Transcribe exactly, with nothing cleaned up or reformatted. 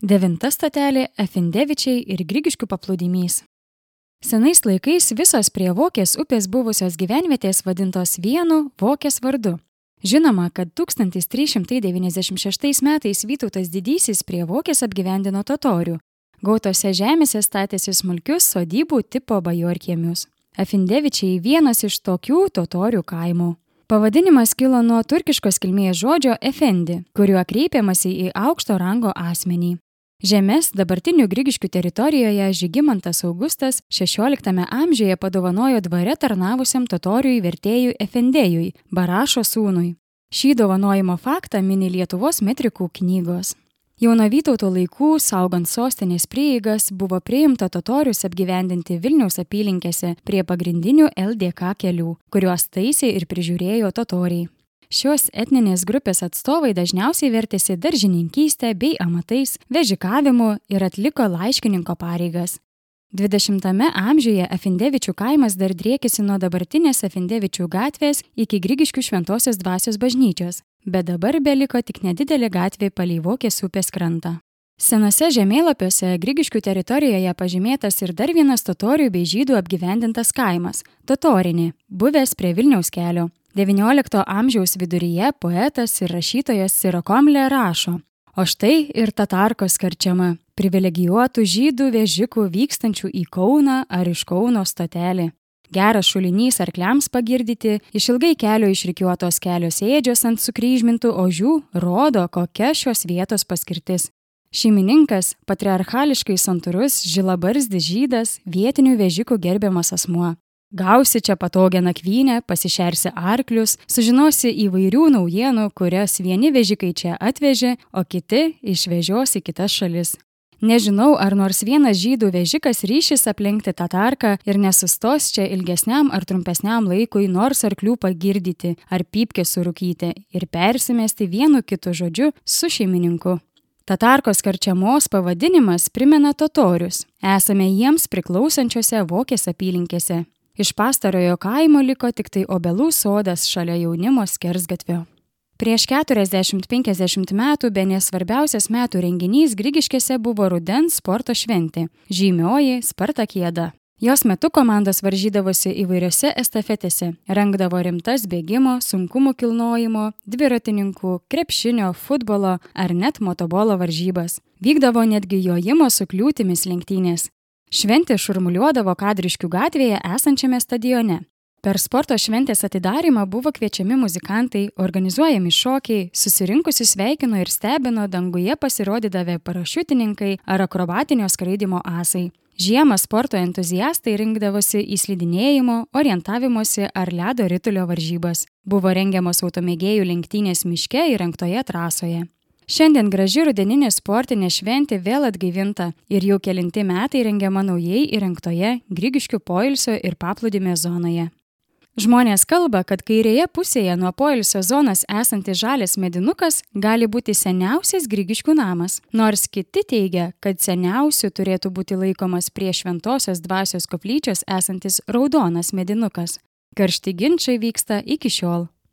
Devinta stotelė – Efindevičiai ir Grigiškių paplūdimys. Senais laikais visos prie Vokės upės buvusios gyvenvietės vadintos vienu Vokės vardu. Žinoma, kad tūkstantis trys šimtai devyniasdešimt šeštais metais Vytautas Didysis prie Vokės apgyvendino totorių. Gautose žemėse statėsi smulkius sodybų tipo bajorkiemius. Efindevičiai vienas iš tokių totorių kaimų. Pavadinimas kilo nuo turkiškos kilmės žodžio efendi, kuriuo kreipiamasi į aukšto rango asmenį. Žemes dabartinių Grigiškių teritorijoje Žygimantas Augustas šešioliktame amžiuje padovanojo dvare tarnavusiam totoriui vertėjui Efendėjui, Barašo sūnui. Šį dovanojimo faktą mini Lietuvos metrikų knygos. Jau nuo Vytauto laikų, saugant sostinės prieigas, buvo priimta totorius apgyvendinti Vilniaus apylinkėse prie pagrindinių L D K kelių, kuriuos taisė ir prižiūrėjo totoriai. Šios etninės grupės atstovai dažniausiai vertėsi daržininkystę bei amatais, vežikavimu ir atliko laiškininko pareigas. dvidešimtame amžiuje Efindevičių kaimas dar driekėsi nuo dabartinės Efindevičių gatvės iki Grigiškių Šventosios dvasios bažnyčios, bet dabar beliko tik nedidelė gatvė palei Vokės upės krantą. Senose žemėlapiuose Grigiškių teritorijoje pažymėtas ir dar vienas totorių bei žydų apgyvendintas kaimas – Totorinė, buvęs prie Vilniaus kelio. devyniolikto amžiaus viduryje poetas ir rašytojas Sirokomlė rašo: o štai ir Tatarkos karčiama, privilegijuotų žydų vežikų vykstančių į Kauną ar iš Kauno stotelį. Geras šulinys arkliams pagirdyti, išilgai kelio išrikiuotos kelios ėdžios ant sukryžmintų ožių rodo, kokia šios vietos paskirtis. Šeimininkas, patriarchališkai santūrus, žilabarzdis žydas, vietinių vežikų gerbiamas asmuo. Gausi čia patogią nakvynę, pasišersi arklius, sužinosi įvairių naujienų, kurias vieni vežikai čia atvežė, o kiti išvežios į kitas šalis. Nežinau, ar nors vienas žydų vežikas ryšis aplenkti Tatarką ir nesustos čia ilgesniam ar trumpesniam laikui nors arklių pagirdyti ar pypkę surūkyti ir persimesti vienu kitu žodžiu su šeimininku. Tatarkos karčiamos pavadinimas primena totorius. Esame jiems priklausančiose Vokės apylinkėse. Iš pastarojo kaimo liko tik tai obelų sodas šalia jaunimo skersgatvio. Prieš keturiasdešimt penkiasdešimt metų bene svarbiausias metų renginys Grigiškėse buvo rudens sporto šventė – žymioji Spartakiada. Jos metu komandos varžydavosi įvairiose estafetėse, rengdavo rimtas bėgimo, sunkumų kilnojimo, dviratininkų, krepšinio, futbolo ar net motobolo varžybas. Vykdavo netgi jojimo su kliūtimis lenktynės. Šventė šurmuliuodavo Kadriškių gatvėje esančiame stadione. Per sporto šventės atidarymą buvo kviečiami muzikantai, organizuojami šokiai, susirinkusi sveikino ir stebino danguje pasirodydavę parašiutininkai ar akrobatinio skraidimo asai. Žiemą sporto entuziastai rinkdavosi į slidinėjimo, orientavimosi ar ledo ritulio varžybas. Buvo rengiamos automėgėjų lenktynės miške įrengtoje trasoje. Šiandien graži rudeninė sportinė šventė vėl atgaivinta ir jau kelinti metai rengiama naujai įrengtoje Grigiškių poilsio ir paplūdimio zonoje. Žmonės kalba, kad kairėje pusėje nuo poilsio zonos esantis žalias medinukas gali būti seniausias Grigiškių namas, nors kiti teigia, kad seniausiu turėtų būti laikomas prie Šventosios dvasios koplyčios esantis raudonas medinukas. Karšti ginčai vyksta iki šiol.